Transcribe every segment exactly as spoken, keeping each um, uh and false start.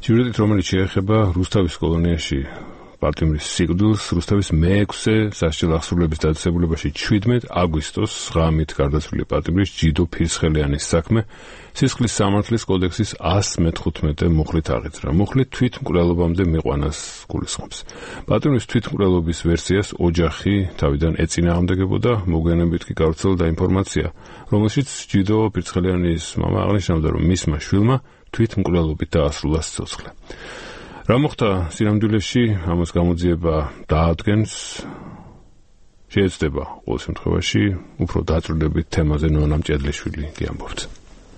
სიუჟეტით, რომელიც შეეხება რუსთავის კოლონიაში პატიმრის სიკვდილს, რუსთავის მეექვსე სასჯელ აღსრულების დაწესებულებაში შვიდმეტ აგვისტოს ღამით გარდაცვლილი პატიმრის ჯიდო ფირცხელიანის საქმე სისხლის სამართლის კოდექსის ასი მეთხუთმეტე მუხლით აღიძრა. მუხლი თვითმკვლელობამდე მიყვანას გულისხმობს. პატიმრის თვითმკვლელობის ვერსიას ოჯახი თავიდან ეწინააღმდეგებოდა, მოგვიანებით კი გავრცელდა ინფორმაცია, რომელშიც ჯიდო ფირცხელიანის მამა აღნიშნავდა, რომ მისმა შვილმა თვითმკვლელობით დაასრულა სიცოცხლე. რა მოხდა სინამდვილეში, ამას გამოძიება დაადგენს, შეეცდება ყოველ შემთხვევაში უფრო დაწვრილებით თემაზე ნონა მჭედლიშვილი გიამბობთ.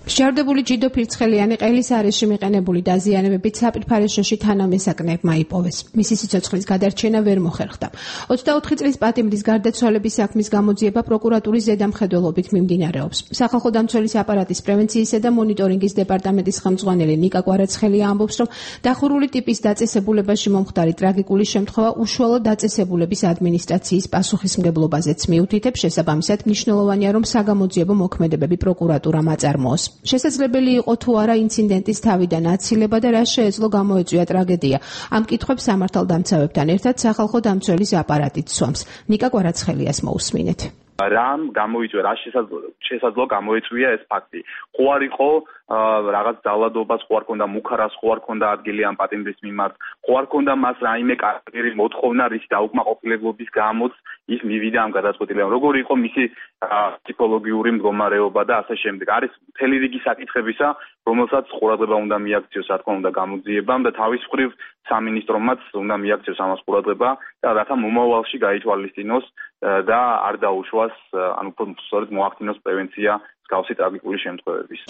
მსჯავრდებული ჯიდო ფირცხელიანი ყელის არეში მიყენებული დაზიანებებით საპირფარეშოში თანამესაკნეებმა იპოვეს. მისი სიცოცხლის გადარჩენა ვერ მოხერხდა. ოცდაოთხი წლის პატიმრის გარდაცვალების საქმის გამოძიება პროკურატურის ზედამხედველობით მიმდინარეობს. სახალხო დამცველის აპარატის პრევენციისა და მონიტორინგის დეპარტამენტის ხელმძღვანელი ნიკა კვარაცხელია ამბობს, რომ დახურული ტიპის დაწესებულებაში მომხდარი ტრაგიკული შემთხვევა უშუალო დაწესებულების ადმინისტრაციის პასუხისმგებლობაზეც მიუთითებს, შესაბამისად მნიშვნელოვანია, რომ საგამოძიებო მოქმედებები პროკურატურამ აწარმოოს. შესაძლებელი იყო თუ არა ინციდენტის თავიდან აცილება და რა შეეძლო გამოეწვია ტრაგედია. ამ კითხვებს სამართალდამცავებთან ერთად სახალხო დამცველის აპარატიც სვამს. ნიკა კვარაცხელიას მოусმინეთ. რამ გამოიწვია, რა შესაძლო გამოიწვია ეს ფაქტი. ხო არ იყო რაღაც ძალადობას, ხო არ ქონდა მუქარას, ხო არ ქონდა ადგილი ამ პატიმრის მიმართ, ხო არ ქონდა მას რაიმე კარგი მოთხოვნა, რის დაუკმაყოფილებლობის გამოც ის მივიდა ამ გადაწყვეტილებამ. როგორი იყო მისი ფსიქოლოგიური მდგომარეობა და ასე შემდეგ. არის მთელი რიგი საკითხებისა, რომელსაც ყურადღება უნდა მიაქციოს, რა თქმა უნდა, გამოძიებამ და თავის მხრივ სამინისტრომაც უნდა მიაქციოს ამას ყურადღება და რათა მომავალში გაითვალისწინოს და არ დაუშვას, ანუ სწორედ მოახდინოს პრევენცია მსგავსი ტრაგიკული შემთხვევების.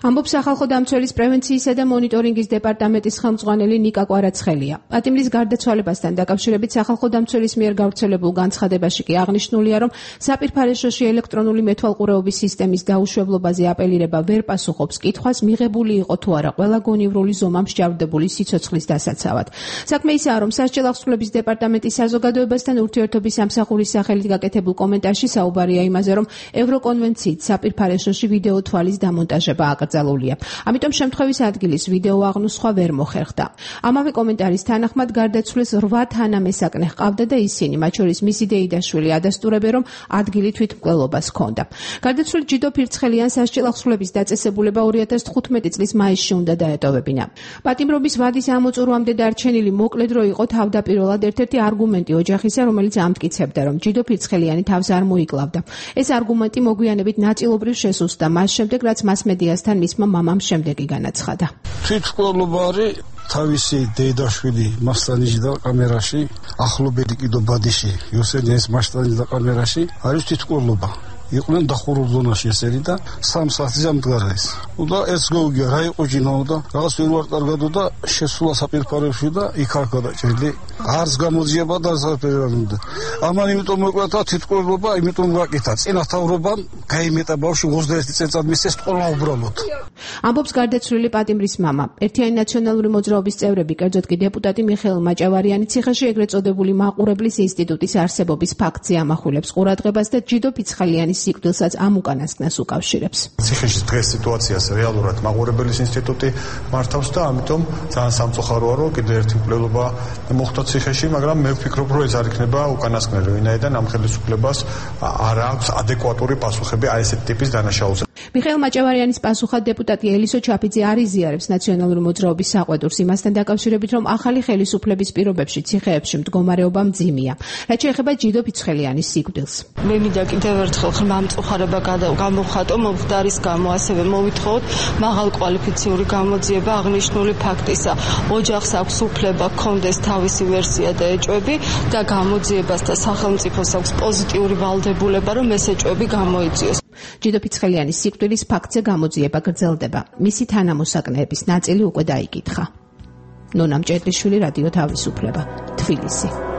ამბობს სახალხო დამცველის პრევენციისა და მონიტორინგის დეპარტამენტის ხელმძღვანელი ნიკა კვარაცხელია. პატიმრის გარდაცვალებასთან დაკავშირებით სახალხო დამცველის მიერ გავრცელებულ განცხადებაში კი აღნიშნულია, რომ საპირფარეშოში ელექტრონული მეთვალყურეობის სისტემის დაუშვებლობაზე აპელირება ვერ პასუხობს კითხვას, მიღებული იყო თუ არა ყველა გონივრული ზომა მსჯავრდებული სიცოცხლის დასაცავად. საქმე ისაა, რომ სასჯელ აღსრულების დეპარტამენტის საზოგადოებასთან ურთიერთობის სამსახურის სახელით გაკეთებულ კომენტარში საუბარია იმაზე, რომ ევროკონვენციით საპირფარეშოში ვიდეო თვალის დამონტაჟება აკრძალულია. ამიტომ შემთხვევის ადგილის ვიდეო აღნუსხვა ვერ მოხერხდა. ამავე კომენტარის თანახმად გარდაცვლილს რვა თანამესაკნე ჰყავდა და ისინი, მათ შორის მისი დეიდაშვილი, ადასტურებენ, რომ ადგილი თვითმკვლელობას ჰქონდა. გარდაცვლილ ჯიდო ფირცხელიანს სასჯელ აღსრულების დაწესებულება ორი ათას თხუთმეტი წლის მაისში უნდა დაეტოვებინა. პატიმრობის ვადის ამოწურვამდე დარჩენილი მოკლე დრო იყო თავდაპირველად ერთ-ერთი არგუმენტი ოჯახისა, რომელიც ამტკიცებდა, რომ ჯიდო ფირცხელიანი თავს არ მოიკლავდა. ეს არგუმენტი მოგვიანებით ნაწილობრივ შესუსტდა მას შემდეგ, რაც მასმედიასთან მისმა მამამ შემდეგი განაცხადა. თვითმკვლელობა არის თავისი დეიდაშვილი მასტანიჟდა კამერაში, ახლობელი კიდო ბადიში იოსელიანის მასტანიჟდა კამერაში, არის თვითმკვლელობა. იყვნენ დახურულ ზონაში ესენი და სამ საათზე ამდგარეს. და ეს გოგია რა იყო ჯინაო და რაღაც ვერ ვარ კარგადო და შესულა საპირფარეში და იქ არ გადაჭრილი. არც გამოძიება და საფერანუდა. ამან იმიტომ მოკლათა თვითმკვლელობა, იმიტომ ვაკეთა. წინათაურობამ გაიმეტა ბავშვი ოცდაერთი წელიწად მისცეს ყველა უბრალოდ. ამბობს გარდაცვლილი პატიმრის მამა. ერთიანი ნაციონალური მოძრაობის წევრები, კერძოდ კი დეპუტატი მიხეილ მაჭავარიანი ციხეში ეგრეთ წოდებული მაყურებლის ინსტიტუტის არსებობის ფაქტზე ამახვილებს ყურადღებას და ჯიდო ფირცხელიანის სიკვდილსაც ამ უკანასკნელს უკავშირებს. ციხეში დღეს სიტუაციას რეალურად მაყურებლის ინსტიტუტი მართავს და ამიტომ ძალიან სამწუხაროა, რომ კიდევ ერთი მკვლელობა მოხდა ციხეში, მაგრამ მე ვფიქრობ, რომ ეს არ იქნება უკანასკნელი, ვინაიდან ამ ხელისუფლებას არ აქვს ადეკვატური პასუხები აი ესეთ ტიპის დანაშაულზე. მიხეილ მაჭავარიანის პასუხად დეპუტატი ელისო ჩაფიძე არ იზიარებს ნაციონალური მოძრაობის საყვედურს იმასთან დაკავშირებით, რომ ახალი ხელისუფლების პირობებში ციხეებში მდგომარეობა მძიმეა. რაც შეეხება ჯიდო ფირცხელიანის სიკვდილს. მე მინდა კიდევ ერთხელ ხმამწუხარება გამოვხატო მომხდარის გამო, ასევე მოვითხოვოთ მაღალ კვალიფიციური გამოძიება აღნიშნული ფაქტისა. ოჯახს აქვს უფლება ჰქონდეს თავისი ვერსია და ეჭვები და გამოძიებას და სახელმწიფოს აქვს პოზიტიური ვალდებულება, რომ ეს ეჭვები გამოიწვიოს. ჯიდო ფირცხელიანის სიკვდილის ფაქტზე გამოძიება გრძელდება. მისი თანამოსაკნეების ნაწილი უკვე დაიკითხა. ნონა მჭედლიშვილი, რადიო თავისუფლება, თბილისი.